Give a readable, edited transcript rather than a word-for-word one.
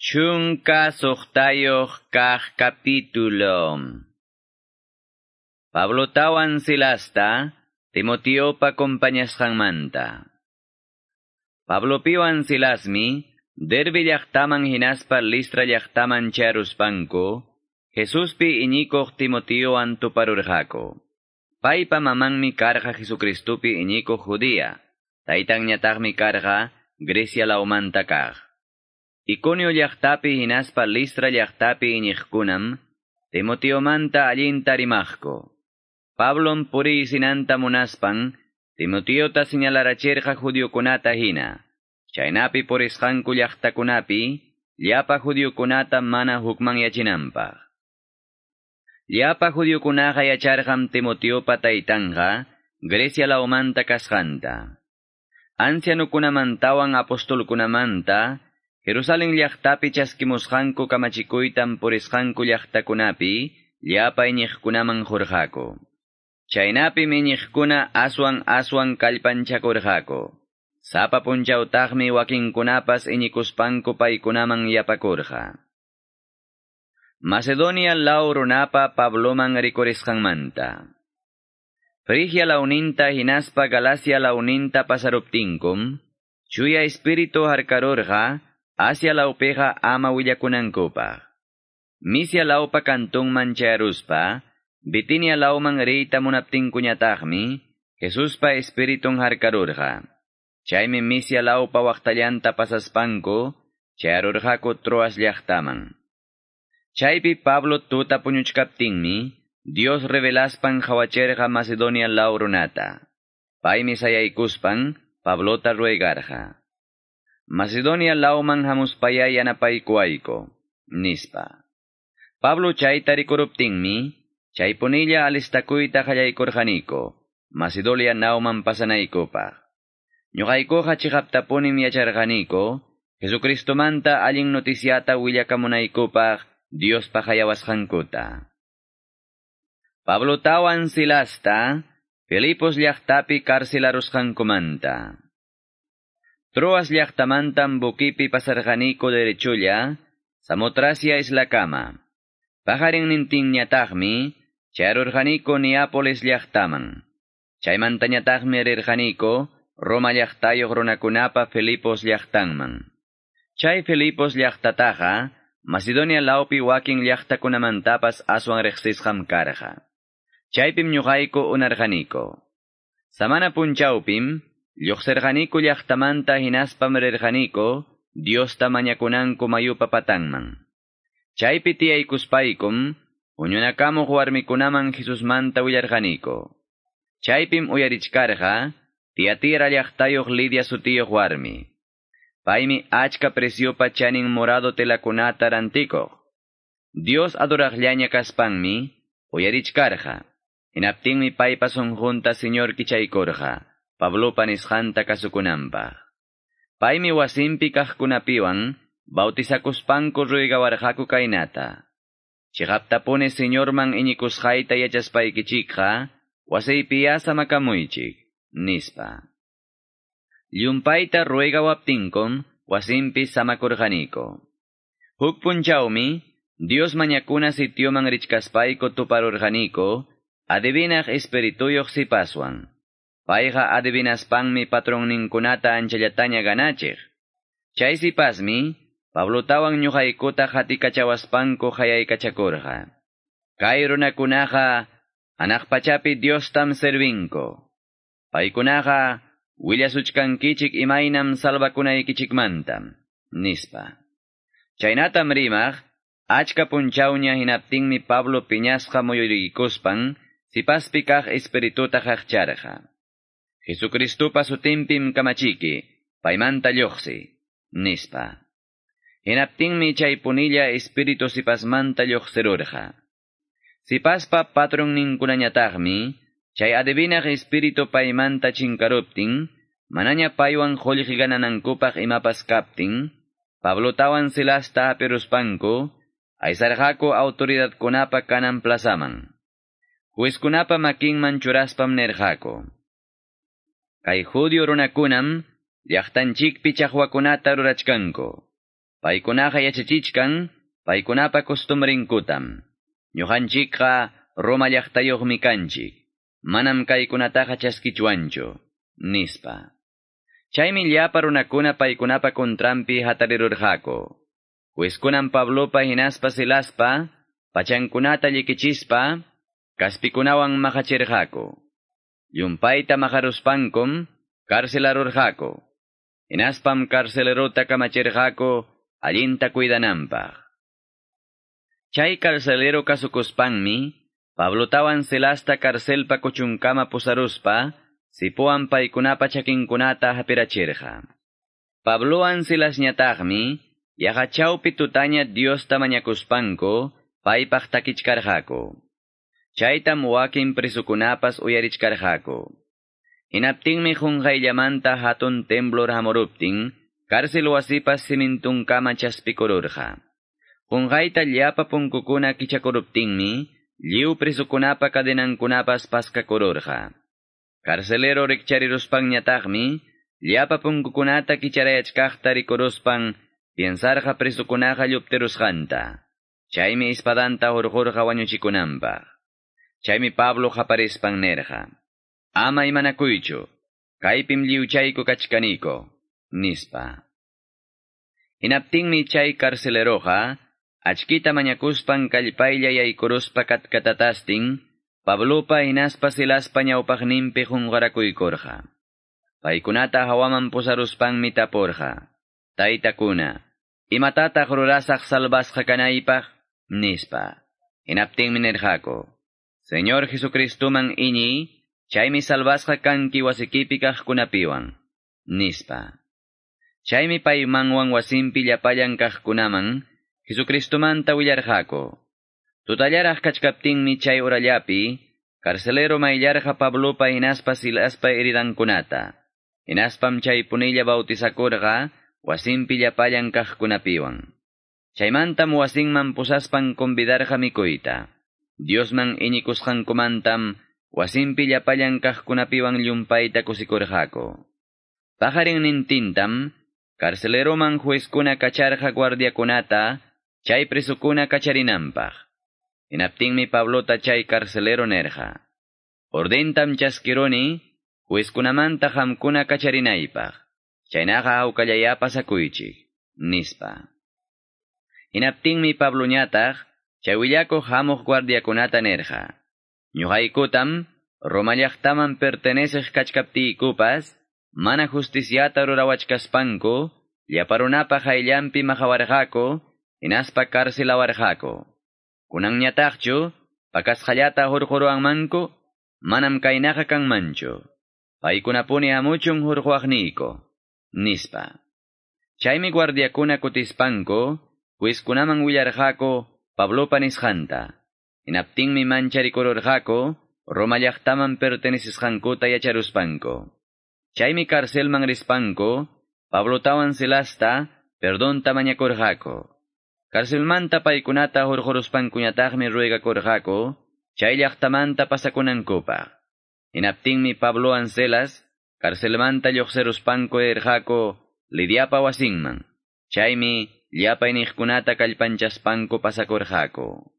16 kaq capítulo. Pablotawan Silasta, Timoteopa compañasqanmanta. Pablopiwan Silasmi, Derbe llaqtaman hinaspa Listra llaqtaman charuspanku, Jesuspi iñikuq Timoteowan tuparurqaku. Paypa mamanmi karqa Jesucristopi iñikuq judía, taytanñataqmi karqa Grecia lawmanta kaq. Iconio llaqtapi hinaspa Listra llaqtapi iñiqkunam, Timoteomanta allinta rimaqku. Pablom puriysinanta munaspan, Timoteota señalarachirqa judiokunata hina. Chaynapi purisqanku llaqtakunapi, llapa judiokunata mana hukmanyachinanpaq. Llapa judiokunaqa yacharqam Timoteopa taytanqa Grecia lawmanta kasqanta. Ancianukunamantawan apostolkunamanta, Jerusalén llaqtapi chaskimusqanku kamachikuytam purisqanku llaqtakunapi, llapa iñiqkunaman qurqaku. Chaynapim iñiqkuna aswan aswan kallpanchakurqaku. Sapa punchawtaqmi wakinkunapas iñikuspanku paykunaman yapakurqa. Macedonia law runapa Pabloman rikurisqanmanta. Frigia lawninta hinaspa Galacia lawninta pasaruptinkum, Chuya Espíritu harkarurqa Asia lawpiqa ama willakunankupaq. Misia lawpa kantunman chayaruspa, Bitinia lawman riyta munaptinkuñataqmi, Jesuspa Espiritun harkarurqa. Chaymi Misia lawpa waqtallanta pasaspanku, chayarurqaku Troas llaqtaman. Chaypi Pablo tuta puñuchkaptinmi, Dios revelaspan qhawacherqa Macedonia law runata. Paymi sayaykuspan, Pablota ruegarqa. Macedonia lawman hamuspaya yanapaykuwayku, nispa. Pablo chayta rikuruptinmi, chaypunilla alistakuyta qallaykurqaniku, Macedonia lawman pasanaykupaq. Ñuqaykuqa chiqaptapunim yacharqaniku, Jesucristomanta allin noticiata willakamunaykupaq Diospa hayawasqankuta. Pablotawan Silasta, Filipos llaqtapi karcelarusqankumanta. Troas llaqtamantam buquipi pasarqaniku derechulla, Samotracia islakama. Paqarinnintinñataqmi, chayarurqaniku Neápolis llaqtaman. Chaymantañataqmi rirqaniku Roma llaqtayuq runakunapa Filipos llaqtanman. Chay Filipos llaqtataqa, Macedonia lawpi wakin llaqtakunamantapas aswan riqsisqam karqa. Chaypim ñuqayku unarqaniku. Samana punchawpim, lluqsirqaniku llaqtamanta hinaspam rirqaniku Diosta mañakunanku mayupa patanman. Chaypi tiyaykuspaykum, huñunakamuq warmikunaman Jesusmanta willarqaniku. Chaypim uyarichkarqa, Tiatira llaqtayuq Lidia sutiyuq warmi. Paymi achka preciopa chanin morado telakunata rantikuq. Dios adoraqllaña kaspanmi, uyarichkarqa. Hinaptinmi paypa sunqunta Señor kichaykurqa, Pablopa nisqanta kasukunanpaq. Paymi wasinpi kaqkunapiwan, bautizakuspanku ruegawarqaku kaynata. Chiqaptapuni Señorman iñikusqayta yachaspaykichikqa, wasiypiya samakamuychik, nispa. Llumpayta ruegawaptinkum, wasinpi samakurqaniku. Huk punchawmi, Dios mañakuna sitioman richkaspayku tuparurqaniku, adivinaq espirituyuq sipaswan. Payqa adivinaspanmi patronninkunata anchallataña ganachiq. Chay sipasmi, Pablotawan ñuqaykuta qatikachawaspanku hayaykachakurqa. Kay runakunaqa hanaq pachapi Diostam servinku. Paykunaqa willasuchkankichik imaynam salvakunaykichikmantam, nispa. Chaynatam rimaq, achka punchawña hinaptinmi Pablo piñasqa muyuriykuspan, sipaspi kaq espirituta qaqcharqa. Jesucristopa sutinpim kamachiki, paymanta lluqsi, nispa. Hinaptinmi chaypunilla espíritu sipasmanta lluqsirurqa. Sipaspa patronninkunañataqmi, chay adivinaq espíritu paymanta chinkaruptin, manaña paywan qullqi gananankupaq imapas kaptin, Pablotawan Silasta hapiruspanku, aysarqaku autoridadkunapa kanan plazaman. Juezkunapa makinman churaspam nirqaku. Kay judío runakunam, llaqtanchikpi chaqwakunata rurachkanku. Paykunaqa yachachichkan, paykunapa costumbrinkutam. Ñuqanchikqa Roma llaqtayuqmi kanchik. Manam kaykunataqa chaskichwanchu, nispa. Chaymi llapa runakuna paykunapa kontranpi hatarirurqaku. Juezkunam Pablopa hinaspa Silaspa, pachankunata llikichispa, kaspikunawan maqachirqaku. Llumpayta maqaruspankum karcelarurqaku. Hinaspam carcelerota kamachirqaku allinta cuidananpaq. Chay carcelero kasukuspanmi, Pablotawan Silasta carcelpa kuchunkama pusaruspa, sipuan paykunapa chakinkunata hapirachirqa. Pablowan Silasñataqmi, yaqa chawpi tutaña Diosta mañakuspanku, paypaq takichkarqaku. Chaytam wakin presukunapas uyarichkarqaku. Hinaptinmi qunqayllamanta hatun temblor hamuruptin, cárcel wasipas simintunkama chaspikururqa. Qunqayta llapa punkukuna kichakuruptinmi, lliw presukunapa cadenankunapas paskakururqa. Carcelero rikchariruspanñataqmi, llapa punkukunata kicharayachkaqta rikuruspan, piensarqa presukunaqa lluptirusqanta. Chaymi espadanta hurqurqa wañuchikunanpaq. Chaymi Pablo qaparispan nerqa: Ama imanakuychu, kaypim lliwchayku kachkaniko, nispa. Hinaptinmi chay carceleroqa, achkita mañakuspan kallpaylla yaykuruspa katkatatastin, Pablopa hinaspa Silaspa ñawpaqninpi qunqarakuykurqa. Paykunata hawaman pusaruspanmi tapurqa: Taytakuna, imatataq rurasaq salvasqa kanaypaq? Nispa. Hinaptinmi nirqaku: Señor Jesucristuman iñiy, chaymi salvasqa kanki wasikipi kaqkunapiwan, nispa. Chaymi paymanwan wasinpi llapallan kaqkunaman Jesucristumanta willarqaku. Tutallaraq kachkaptinmi chay urallapi, carcelero mayllarqa Pablopa hinaspa Silaspa heridankunata. Hinaspam chay punilla bautizakurqa wasinpi llapallan kaqkunapiwan. Chaymantam wasinman pusaspan convidarqa mikuyta. Diosman iñikusqankumantam wasinpi llapallan kaqkunapiwan llumpayta kusikurqaku. Paqarinnintintam carceleroman juezkuna kacharqa guardiakunata chay presukuna kacharinanpaq. Hinaptinmi Pablota chay carcelero nerqa: Ordentam chaskiruni juezkunamanta qamkuna kacharinaypaq. Chaynaqa hawkallaya pasakuychik, nispa. Hinaptinmi Pabloñataq chay willakuq hamuq guardiakunata nerqa: Ñuqaykutam Roma llaqtaman perteneceq kachkaptiykupas, mana justiciata rurawachkaspanku, llapa runapa qayllanpi maqawarqaku, hinaspa carcelawarqaku. Kunanñataqchu, pakasqallata hurquruwanmanku, manam kaynaqa kanmanchu. Paykunapuni hamuchun hurquwaqniyku, nispa. Chaymi guardiakuna kutispanku, juezkunaman willarqaku Pablopa nisqanta. Hinaptinmi mancharikururqaku, Roma llaqtaman pertenecisqankuta yacharuspanku. Chaymi carcelman rispanku, Pablotawan Silasta perdonta mañakurqaku. Carcelmanta paykunata hurquruspankuñataqmi ruegakurqaku, chay llaqtamanta pasakunankupaq. Hinaptinmi Pablowan Silas carcelmanta lluqsiruspanku rirqaku Lidiapa wasinman. Chaymi llapa iniqkunata kallpanchaspanku pasakurqaku.